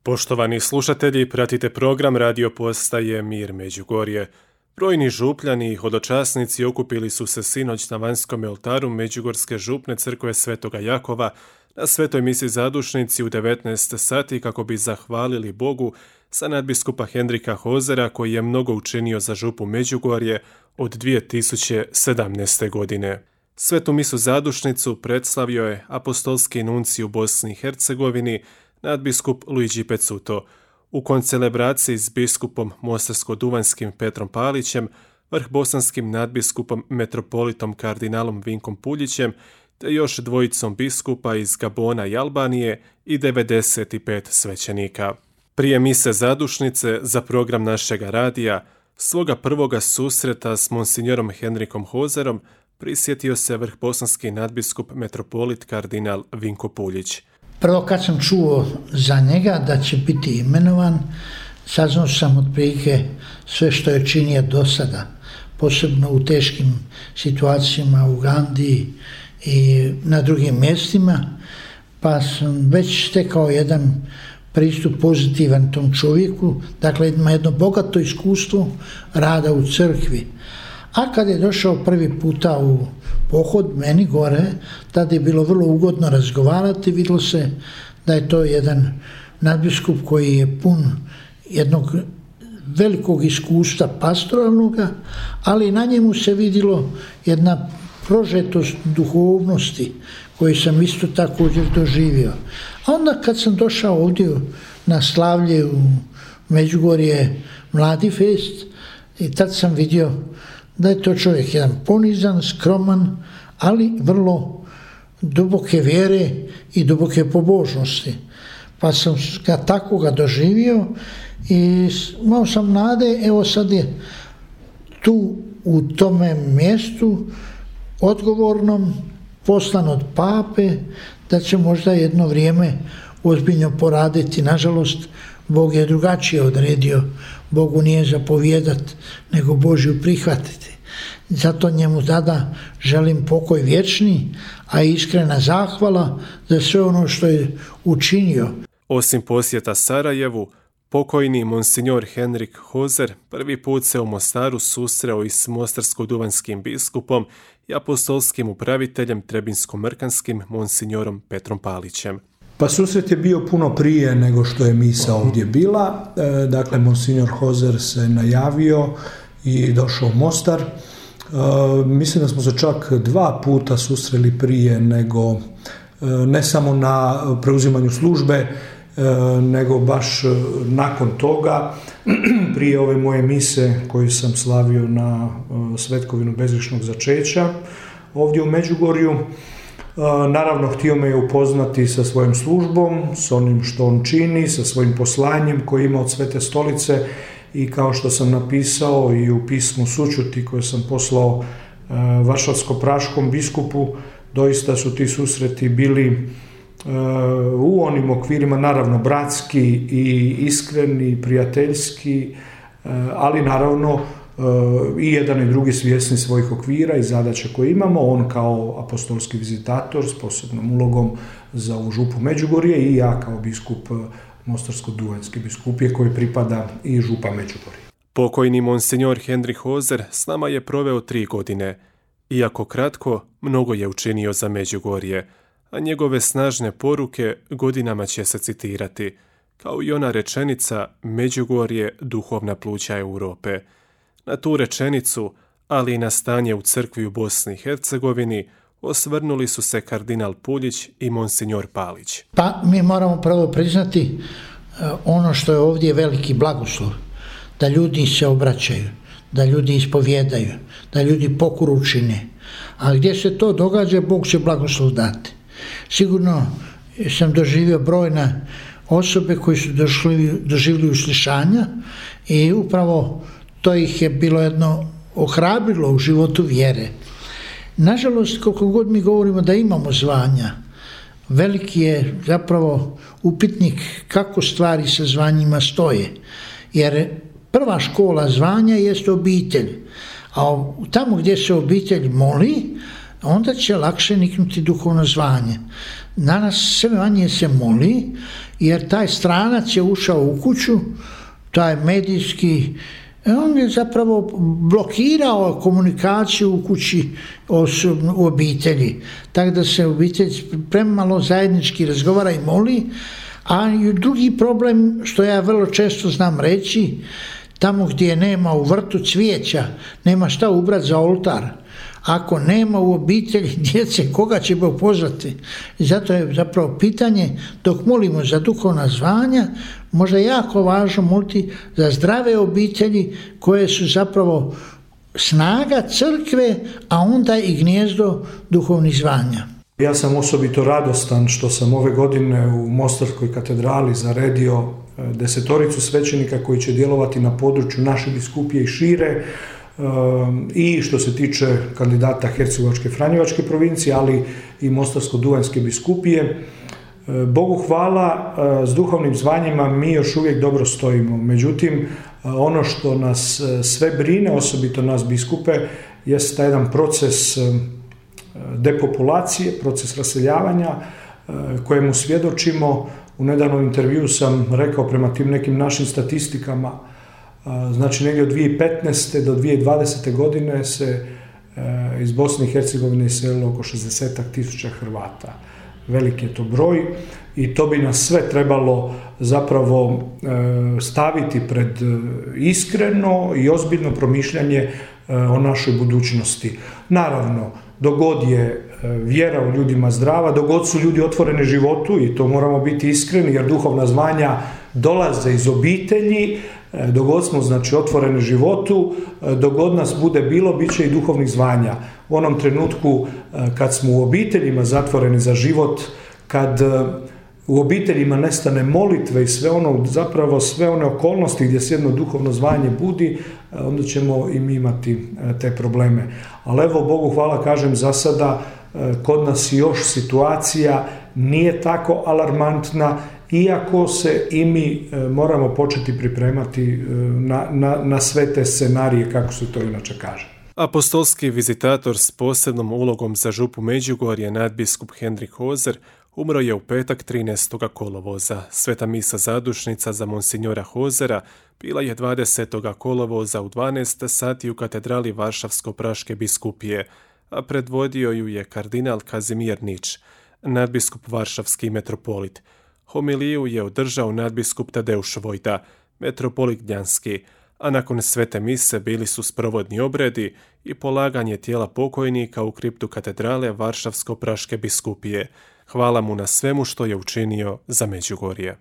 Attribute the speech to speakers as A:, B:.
A: Poštovani slušatelji, pratite program radio postaje Mir Međugorje. Brojni župljani i hodočasnici okupili su se sinoć na vanjskom oltaru Međugorske župne crkve Svetoga Jakova na svetoj misi zadušnici u 19 sati kako bi zahvalili Bogu za nadbiskupa Henrika Hozera koji je mnogo učinio za župu Međugorje od 2017. godine. Svetu misu zadušnicu predstavio je apostolski nuncij u Bosni i Hercegovini, nadbiskup Luigi Pezzuto. U koncelebraciji s biskupom mostarsko-duvanjskim Petrom Palićem, vrhbosanskim nadbiskupom metropolitom kardinalom Vinkom Puljićem, te još dvojicom biskupa iz Gabona i Albanije i 95 svećenika. Prije mise zadušnice za program našega radija, svoga prvoga susreta s monsignorom Henrikom Hozerom prisjetio se vrhbosanski nadbiskup metropolit kardinal Vinko Puljić.
B: Prvo kad sam čuo za njega da će biti imenovan, saznao sam otprilike sve što je činio do sada, posebno u teškim situacijama u Ugandi i na drugim mjestima, pa sam već stekao jedan pristup pozitivan tom čovjeku, dakle ima jedno bogato iskustvo rada u crkvi. A kad je došao prvi puta u pohod meni gore, tada je bilo vrlo ugodno razgovarati, vidjelo se da je to jedan nadbiskup koji je pun jednog velikog iskustva pastoralnoga, ali na njemu se vidjelo jedna prožetost duhovnosti koju sam isto također doživio. A onda kad sam došao ovdje na slavlje u Međugorje Mladi fest, i tad sam vidio da je to čovjek jedan ponizan, skroman, ali vrlo duboke vjere i duboke pobožnosti. Pa sam ga takoga doživio i imao sam nade, evo sad je tu u tome mjestu odgovornom, poslan od pape, da će možda jedno vrijeme ozbiljno poraditi. Nažalost, Bog je drugačije odredio. Bogu nije zapovjedat, nego Božju prihvatiti. Zato njemu tada želim pokoj vječni, a iskrena zahvala za sve ono što je učinio.
A: Osim posjeta Sarajevu, pokojni monsinjor Henrik Hozer prvi put se u Mostaru susreo i s mostarsko-duvanjskim biskupom i apostolskim upraviteljem trebinsko-mrkanskim monsinjorom Petrom Palićem.
C: Pa susret je bio puno prije nego što je misa ovdje bila. Dakle, monsinjor Hozer se najavio i došao u Mostar. Mislim da smo se čak 2 puta susreli prije nego, ne samo na preuzimanju službe, nego baš nakon toga, prije ove moje mise koju sam slavio na svetkovinu bezgrešnog začeća ovdje u Međugorju. Naravno, htio me je upoznati sa svojom službom, s onim što on čini, sa svojim poslanjem koje ima od Svete stolice i kao što sam napisao i u pismu sućuti koje sam poslao varšavsko-praškom biskupu, doista su ti susreti bili u onim okvirima, naravno bratski i iskreni, prijateljski, ali naravno i jedan i drugi svjesni svojih okvira i zadaća koje imamo, on kao apostolski vizitator s posebnom ulogom za ovu župu Međugorje i ja kao biskup mostarsko-duvanjske biskupije koji pripada i župa Međugorje.
A: Pokojni monsinjor Henrik Hozer s nama je proveo 3 godine. Iako kratko, mnogo je učinio za Međugorje, a njegove snažne poruke godinama će se citirati, kao i ona rečenica Međugorje duhovna pluća Europe. Na tu rečenicu, ali i na stanje u crkvi u Bosni i Hercegovini, osvrnuli su se kardinal Puljić i monsinjor Palić.
B: Pa mi moramo prvo priznati ono što je ovdje veliki blagoslov, da ljudi se obraćaju, da ljudi ispovjedaju, da ljudi pokoru čine. A gdje se to događa, Bog će blagoslov dati. Sigurno sam doživio brojne osobe koji su doživjeli uslišanja i upravo to ih je bilo jedno ohrabrilo u životu vjere. Nažalost, koliko god mi govorimo da imamo zvanja, veliki je zapravo upitnik kako stvari sa zvanjima stoje. Jer prva škola zvanja jeste obitelj, a tamo gdje se obitelj moli, onda će lakše niknuti duhovno zvanje. Danas sve manje se moli jer taj stranac je ušao u kuću, taj medijski, on je zapravo blokirao komunikaciju u kući, u obitelji, tako da se obitelj premalo zajednički razgovara i moli. A drugi problem, što ja vrlo često znam reći, tamo gdje nema u vrtu cvijeća, nema šta ubrati za oltar. Ako nema u obitelji djece, koga će Bog pozvati? I zato je zapravo pitanje, dok molimo za duhovna zvanja, možda je jako važno moliti za zdrave obitelji koje su zapravo snaga crkve, a onda i gnijezdo duhovnih zvanja.
C: Ja sam osobito radostan što sam ove godine u Mostarskoj katedrali zaredio 10 svećenika koji će djelovati na području naše biskupije i šire, i što se tiče kandidata Hercegovačke Franjevačke provincije, ali i Mostarsko-duvanjske biskupije. Bogu hvala, s duhovnim zvanjima mi još uvijek dobro stojimo. Međutim, ono što nas sve brine, osobito nas biskupe, jest taj jedan proces depopulacije, proces raseljavanja kojemu svjedočimo. U nedavnom intervjuu sam rekao, prema tim nekim našim statistikama, znači negdje od 2015. do 2020. godine se iz Bosne i Hercegovine iselilo oko 60.000 Hrvata. Veliki je to broj i to bi nas sve trebalo zapravo staviti pred iskreno i ozbiljno promišljanje o našoj budućnosti. Naravno, dok god je vjera u ljudima zdrava, dok god su ljudi otvoreni životu, i to moramo biti iskreni jer duhovna zvanja dolaze iz obitelji, dok god smo znači otvoreni životu, dok god nas bude bilo, bit će i duhovnih zvanja. U onom trenutku kad smo u obiteljima zatvoreni za život, kad u obiteljima nestane molitve i sve one okolnosti gdje se jedno duhovno zvanje budi, onda ćemo i mi imati te probleme. Ali evo, Bogu hvala, kažem, za sada kod nas još situacija nije tako alarmantna, iako se i mi moramo početi pripremati na sve te scenarije, kako se to inače kaže.
A: Apostolski vizitator s posebnom ulogom za župu Međugorje, nadbiskup Henrik Hozer, umro je u petak 13. kolovoza. Sveta misa zadušnica za monsinjora Hozera bila je 20. kolovoza u 12 sati u katedrali Varšavsko-praške biskupije, a predvodio ju je kardinal Kazimir Nič, nadbiskup varšavski metropolit. Homiliju je održao nadbiskup Tadeuš Vojta, metropolit Gnjanski, a nakon svete mise bili su sprovodni obredi i polaganje tijela pokojnika u kriptu katedrale Varšavsko-praške biskupije. Hvala mu na svemu što je učinio za Međugorje.